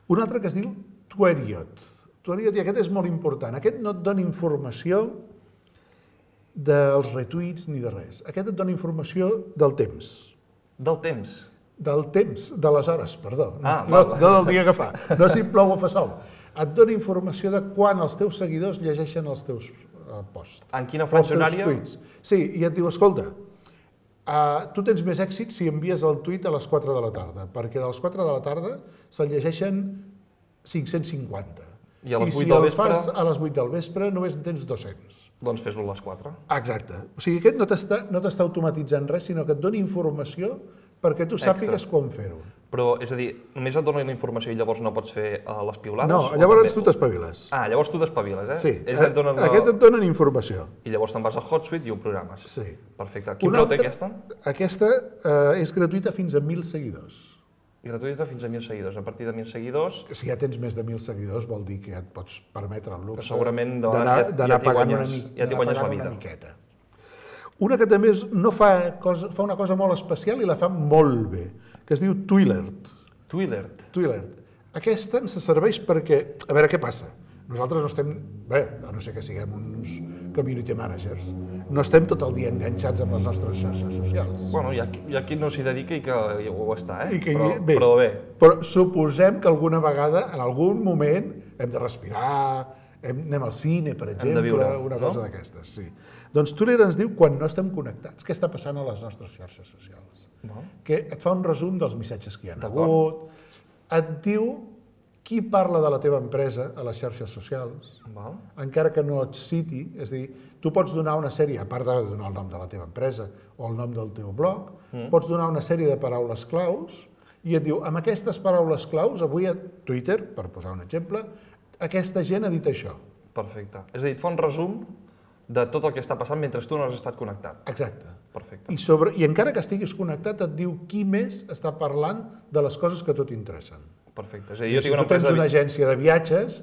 Un altre que es diu Tweriot. Tweriot, i aquest és molt important. Aquest no et dona informació dels retuits ni de res. Aquest et dona informació del temps. Del temps? Del temps, de les hores, perdó. No del dia que fa. No si plou o fa sol. Et dona informació de quan els teus seguidors llegeixen els teus posts. En quina franja horària? Sí, i et diu, escolta, tu tens més èxit si envies el tuit a les 4 de la tarda, perquè de les 4 de la tarda se'l llegeixen 550. I a les 8 si del el vespre? fas a les 8 del vespre només en tens 200. Doncs fes-lo a les 4. Exacte. O sigui, aquest no t'està automatitzant res, sinó que et dona informació perquè tu sàpigues com fer-ho. Però, és a dir, només et dona la informació i llavors no pots fer les piulades? No, llavors tu t'espaviles. Llavors tu t'espaviles, Sí, aquest et donen informació. I llavors te'n vas a HotSuite i ho programes. Sí. Perfecte. Quin preu té aquesta? Aquesta és gratuïta fins a 1.000 seguidors. Gratuïta fins a 1.000 seguidors. A partir de 1.000 seguidors... Si ja tens més de 1.000 seguidors vol dir que ja et pots permetre el luxe segurament d'anar pagant una miqueta. Una que també fa una cosa molt especial i la fa molt bé, que es diu Twilert. Twilert? Twilert. Aquesta ens serveix perquè... A veure, què passa? Nosaltres no estem, bé, a no ser que siguem uns community managers, no estem tot el dia enganxats amb les nostres xarxes socials. Bueno, hi ha qui no s'hi dedica i que ho està, I que, però bé. Però suposem que alguna vegada, en algun moment, hem de respirar, anem al cine, per exemple, viure, una cosa d'aquestes, sí. Doncs Twitter ens diu quan no estem connectats, què està passant a les nostres xarxes socials. Que et fa un resum dels missatges que hi ha hagut, et diu qui parla de la teva empresa a les xarxes socials, encara que no et citi, és a dir, tu pots donar una sèrie, a part de donar el nom de la teva empresa o el nom del teu blog, pots donar una sèrie de paraules claus i et diu, amb aquestes paraules claus, avui a Twitter, per posar un exemple, aquesta gent ha dit això. Perfecte. És a dir, et fa un resum de tot el que està passant mentre tu no has estat connectat. Exacte. Perfecte. I encara que estiguis connectat, et diu qui més està parlant de les coses que a tu t'interessen. Perfecte. És a dir, jo Si tinc una tu tens empresa... una agència de viatges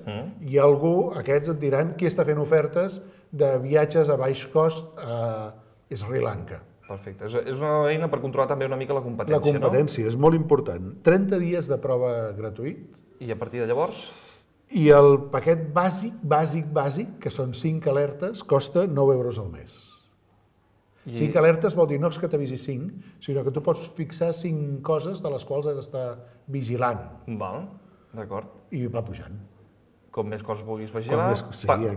i algú, aquests et diran qui està fent ofertes de viatges a baix cost a Sri Lanka. Perfecte. És una eina per controlar també una mica la competència, La competència és molt important. 30 dies de prova gratuït. I a partir de llavors? I el paquet bàsic, que són 5 alertes, costa 9 euros al mes. 5 alertes vol dir no és que t'avisi 5, sinó que tu pots fixar 5 coses de les quals has d'estar vigilant. Val, d'acord. I va pujant. Com més coses vulguis vigilar,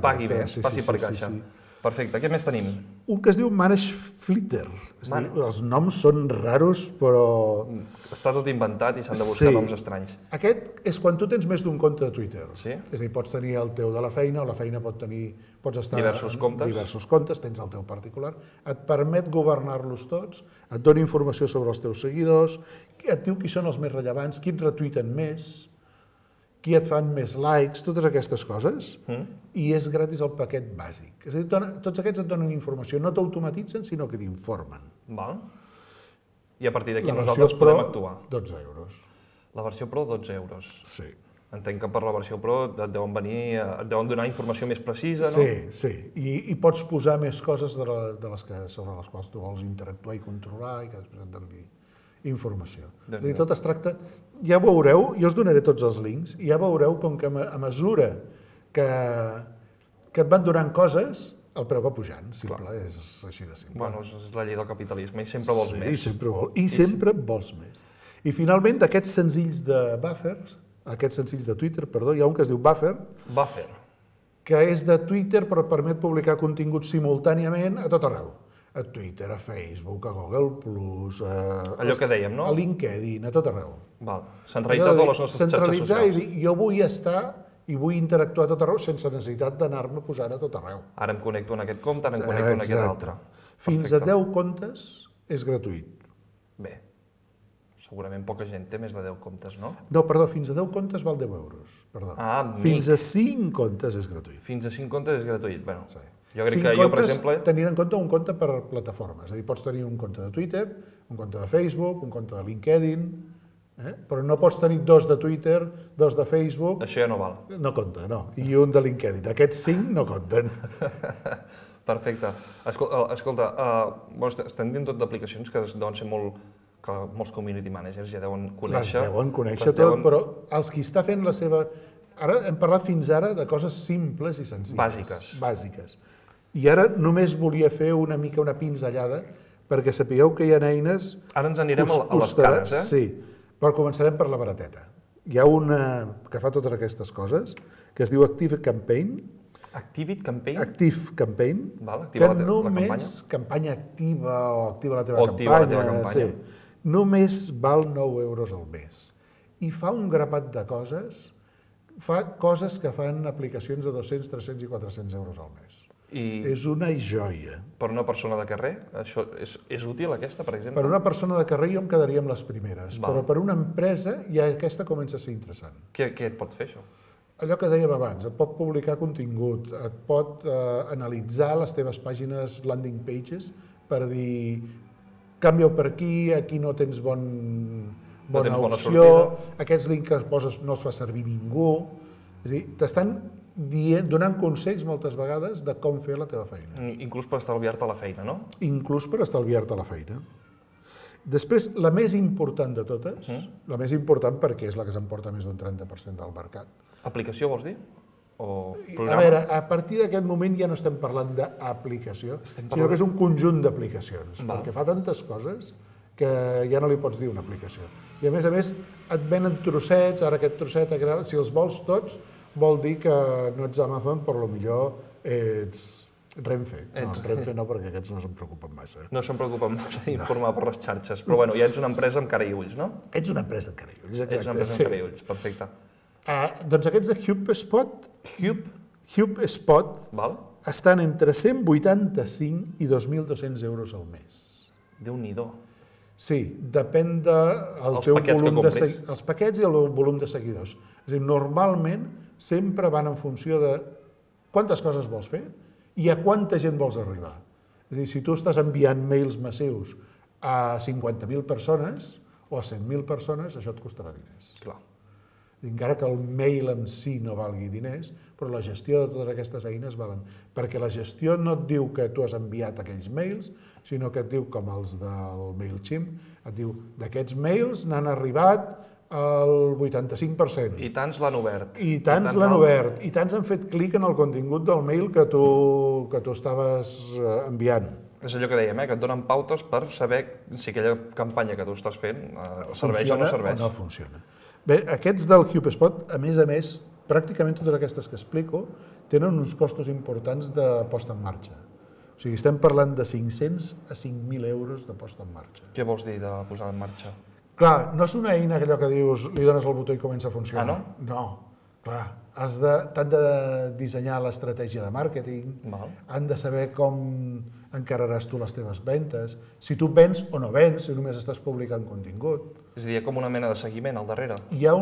pagui més, passi per caixa. Perfecte. Què més tenim? Un que es diu Manage Flitter. Els noms són raros, però... Està tot inventat i s'han de buscar noms estranys. Aquest és quan tu tens més d'un compte de Twitter. Sí. És a dir, pots tenir el teu de la feina, o la feina pot tenir... Pots estar diversos comptes, tens el teu particular. Et permet governar-los tots, et dona informació sobre els teus seguidors, et diu qui són els més rellevants, qui et retuiten més, qui et fan més likes, totes aquestes coses, i és gratis el paquet bàsic. És a dir, tots aquests et donen informació, no t'automatitzen, sinó que t'informen. Val. I a partir d'aquí nosaltres podem actuar. 12 euros. La versió Pro, 12 euros. Sí. Entenc que per la versió Pro et deuen donar informació més precisa, no? Sí. I pots posar més coses sobre les quals tu vols interactuar i controlar i que després et doni informació. És a dir, tot es tracta... Ja veureu, jo us donaré tots els links, i ja veureu com que a mesura que et van donant coses, el preu va pujant, simple, és així de simple. Bueno, és la llei del capitalisme i sempre vols més. I sempre vols més. I finalment, d'aquests senzills de Twitter, hi ha un que es diu Buffer, que és de Twitter però permet publicar contingut simultàniament a tot arreu. A Twitter, a Facebook, a Google+, allò que dèiem, no? A LinkedIn, a tot arreu. Centralitzar totes les nostres xarxes socials. Centralitzar i jo vull estar i vull interactuar a tot arreu sense necessitat d'anar-me posant a tot arreu. Ara em connecto en aquest compte, ara em connecto en aquest altre. Fins a 10 comptes és gratuït. Bé, segurament poca gent té més de 10 comptes, no? No, perdó, fins a 10 comptes val 10 euros. Perdó. Fins a 5 comptes és gratuït. Fins a 5 comptes és gratuït, bueno. Jo crec que jo, per exemple... Tenint en compte un compte per plataforma. És a dir, pots tenir un compte de Twitter, un compte de Facebook, un compte de LinkedIn, però no pots tenir 2 de Twitter, 2 de Facebook... Això ja no val. No compta, no. I un de LinkedIn. Aquests 5 no compten. Perfecte. Escolta, estem dient tot d'aplicacions que deuen ser que molts community managers ja deuen conèixer. Les deuen conèixer tot, però els qui està fent la seva... Ara hem parlat fins ara de coses simples i senzilles. Bàsiques. I ara només volia fer una pinzellada perquè sapigueu que hi ha eines... Ara ens anirem a les cares, eh? Sí, però començarem per la barateta. Hi ha una que fa totes aquestes coses, que es diu Active Campaign. Active Campaign? Active Campaign. Activa la campanya. Campanya activa o activa la teva campanya. Només val 9 euros al mes. I fa un grapat de coses... Fa coses que fan aplicacions de 200, 300 i 400 euros al mes. És una joia. Per una persona de carrer? Això és útil, aquesta, per exemple? Per una persona de carrer jo em quedaria amb les primeres, però per una empresa ja aquesta comença a ser interessant. Què et pot fer, això? Allò que dèiem abans, et pot publicar contingut, et pot analitzar les teves pàgines landing pages per dir canvia per aquí no tens bona opció, aquests links que poses no els fa servir ningú. És a dir, t'estan donant consells moltes vegades de com fer la teva feina. Inclús per estalviar-te la feina, no? Inclús per estalviar-te la feina. Després, la més important de totes, la més important perquè és la que s'emporta més d'un 30% del mercat. Aplicació, vols dir? o A programa? veure, a partir d'aquest moment ja no estem parlant d'aplicació, sinó que és un conjunt d'aplicacions, perquè fa tantes coses que ja no li pots dir una aplicació. I a més, et venen trossets, ara aquest trosset, si els vols tots, vol dir que no ets Amazon, per lo millor ets Renfe. No, Renfe no, perquè aquests no se'n preocupen massa. No se'n preocupen massa d'informar per les xarxes, però bueno, ja ets una empresa amb cara i ulls, no? Ets una empresa amb cara i ulls, exacte. Ets una empresa amb cara i ulls, perfecte. Doncs aquests de HubeSpot Val? estan entre 185 i 2.200 euros al mes. Déu-n'hi-do. Sí, depèn del teu volum de seguidors. Els paquets i el volum de seguidors. És a dir, normalment sempre van en funció de quantes coses vols fer i a quanta gent vols arribar. És a dir, si tu estàs enviant mails massius a 50.000 persones o a 100.000 persones, això et costarà diners. Clar. Encara que el mail en si no valgui diners, però la gestió de totes aquestes eines valen. Perquè la gestió no et diu que tu has enviat aquells mails, sinó que et diu, com els del MailChimp, et diu, d'aquests mails n'han arribat el 85%. I tants l'han obert. I tants l'han obert. I tants han fet clic en el contingut del mail que tu estaves enviant. És allò que dèiem, que et donen pautes per saber si aquella campanya que tu estàs fent serveix o no serveix. O no funciona. Bé, aquests del HubeSpot, a més, pràcticament totes aquestes que explico tenen uns costos importants de posta en marxa. O sigui, estem parlant de 500 a 5.000 euros de posta en marxa. Què vols dir de posar en marxa? Clar, no és una eina allò que dius, li dones el botó i comença a funcionar. Ah, no? No, clar. T'han de dissenyar l'estratègia de màrqueting, han de saber com encararàs tu les teves ventes, si tu vens o no vens, si només estàs publicant contingut. És a dir, hi ha com una mena de seguiment al darrere. Hi ha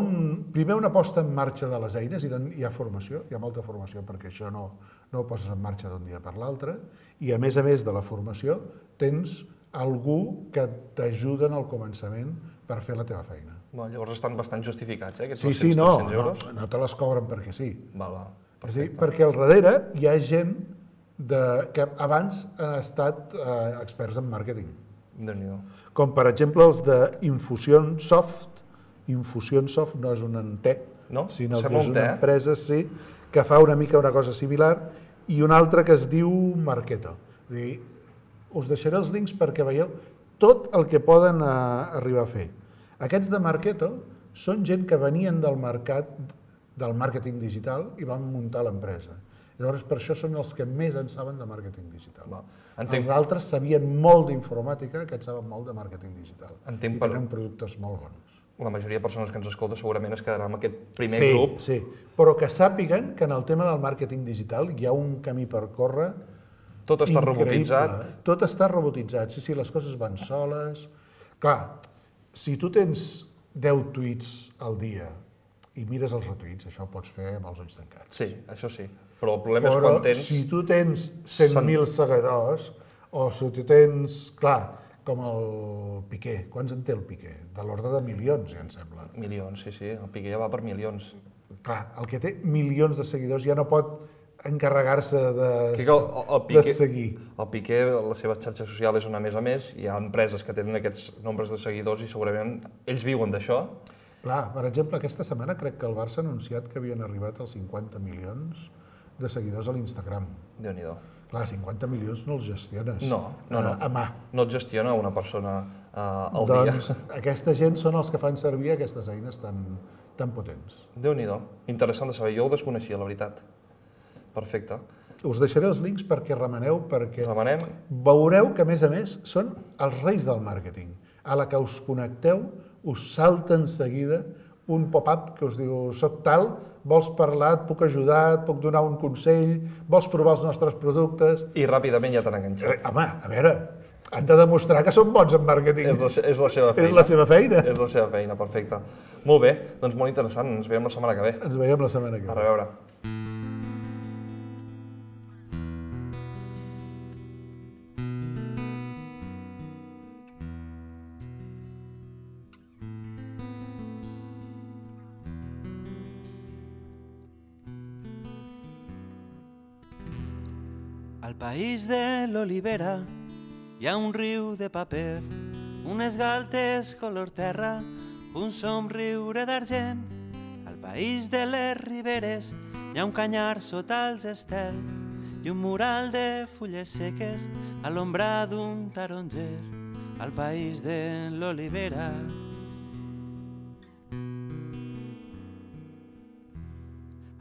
primer una posta en marxa de les eines, i hi ha formació, hi ha molta formació, perquè això no ho poses en marxa d'un dia per l'altre, i a més de la formació tens algú que t'ajuda en el començament per fer la teva feina. Llavors estan bastant justificats, aquests Sí, 200-300 euros? No te les cobren perquè sí. Perfecte. És a dir, perquè al darrere hi ha gent que abans han estat experts en màrqueting. Déu-n'hi-do. Com per exemple els d'Infusionsoft. Infusionsoft no és un té, sinó que és una empresa que fa una mica una cosa similar, i una altra que es diu Marketo. És a dir, us deixaré els links perquè veieu tot el que poden arribar a fer. Aquests de Marketo són gent que venien del mercat del màrqueting digital i van muntar l'empresa. Llavors, per això són els que més en saben de màrqueting digital. Els altres sabien molt d'informàtica, aquests saben molt de màrqueting digital. I tenen productes molt bons. La majoria de persones que ens escolta segurament es quedarà amb aquest primer grup. Sí, però que sàpiguen que en el tema del màrqueting digital hi ha un camí per córrer. Tot està robotitzat. Tot està robotitzat, sí, les coses van soles. Clar, si tu tens 10 tuits al dia i mires els retuits, això ho pots fer amb els ulls tancats. Sí, això sí. Però el problema és quan tens... Però si tu tens 100.000 seguidors, o si tu tens, clar, com el Piqué. Quants en té el Piqué? De l'ordre de milions, ja em sembla. Milions, sí. El Piqué ja va per milions. Clar, el que té milions de seguidors ja no pot encarregar-se de seguir. El Piqué, la seva xarxa social és una més a més, hi ha empreses que tenen aquests nombres de seguidors i segurament ells viuen d'això. Clar, per exemple, aquesta setmana crec que el Barça ha anunciat que havien arribat als 50 milions de seguidors a l'Instagram. Déu-n'hi-do. Clar, 50 milions no els gestiones a mà. No et gestiona una persona al dia. Doncs aquesta gent són els que fan servir aquestes eines tan potents. Déu-n'hi-do. Interessant de saber. Jo ho desconeixia, la veritat. Perfecte. Us deixaré els links perquè remeneu, perquè veureu que, a més, són els reis del màrqueting. A la que us connecteu, us salta en seguida un pop-up que us diu soc tal, vols parlar, et puc ajudar, et puc donar un consell, vols provar els nostres productes... I ràpidament ja t'han enganxat. Home, a veure, han de demostrar que són bons en màrqueting. És la seva feina. És la seva feina. És la seva feina, perfecte. Molt bé, doncs molt interessant. Ens veiem la setmana que ve. Ens veiem la setmana que ve. A reveure. Al país de l'olivera hi ha un riu de paper, unes galtes color terra, un somriure d'argent. Al país de les riberes hi ha un canyar sota els estels i un mural de fulles seques a l'ombra d'un taronger al país de l'olivera.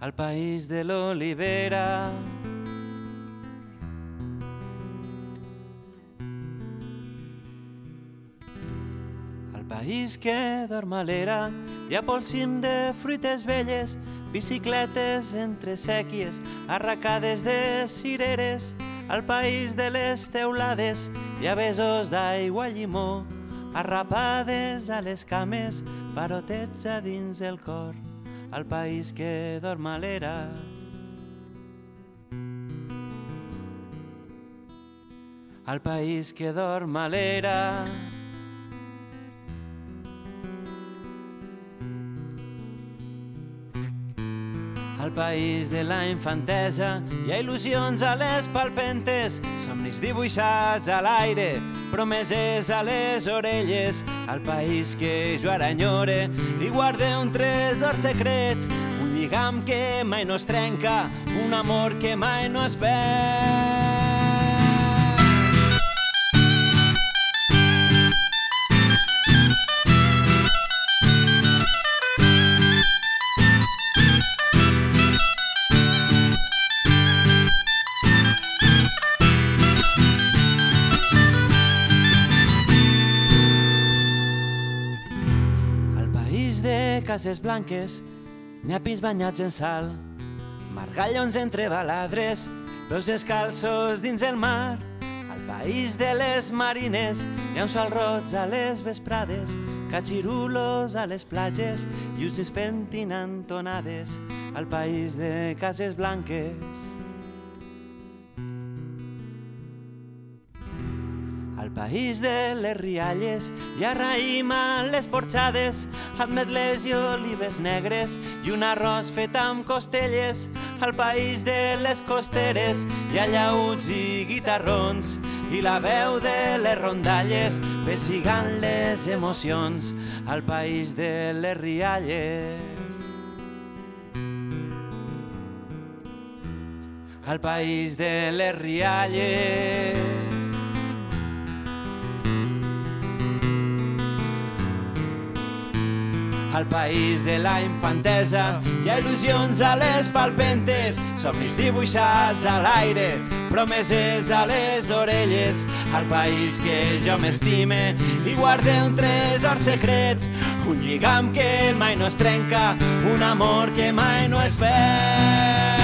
Al país de l'olivera. Al país que dorm a l'era hi ha pel cim de fruites velles, bicicletes entre sèquies, arracades de cireres. Al país de les teulades hi ha besos d'aigua llimó, arrapades a les cames, parotets a dins el cor. Al país que dorm a l'era. Al país que dorm a l'era. Al país de la infantesa hi ha il·lusions a les palpentes, somnis dibuixats a l'aire, promeses a les orelles. Al país que jo ara enyore i guarde un tresor secret, un lligam que mai no es trenca, un amor que mai no es perd. Cases blanques, nyapis banyats en sal, margallons entre baladres, peus descalços dins el mar. Al país de les marines hi ha un sol roig a les vesprades, catxirulos a les platges i us despentinant tonades. Al país de cases blanques. Al país de les rialles hi ha raïm a les porxades, ametles i olives negres i un arròs fet amb costelles. Al país de les costeres hi ha llauts i guitarrons i la veu de les rondalles pessigant les emocions. Al país de les rialles. Al país de les rialles. Al país de la infantesa hi ha il·lusions a les palpentes, somnis dibuixats a l'aire, promeses a les orelles. Al país que jo m'estime i guarde un tresor secret, un lligam que mai no es trenca, un amor que mai no es perd.